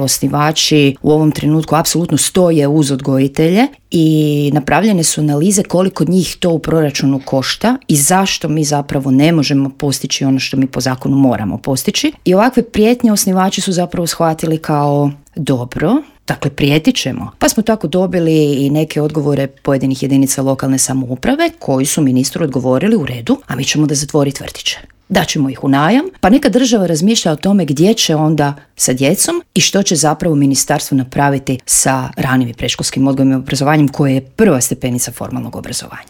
Osnivači u ovom trenutku apsolutno stoje uz odgojitelje i napravljene su analize koliko njih to u proračunu košta i zašto mi zapravo ne možemo postići ono što mi po zakonu moramo postići. I ovakve prijetnje osnivači su zapravo shvatili kao dobro, dakle prijetit ćemo. Pa smo tako dobili i neke odgovore pojedinih jedinica lokalne samouprave koji su ministru odgovorili u redu, a mi ćemo da zatvoriti vrtiće. Daćemo ih u najam, pa neka država razmišlja o tome gdje će onda sa djecom i što će zapravo ministarstvo napraviti sa ranim i predškolskim odgojem i obrazovanjem koje je prva stepenica formalnog obrazovanja.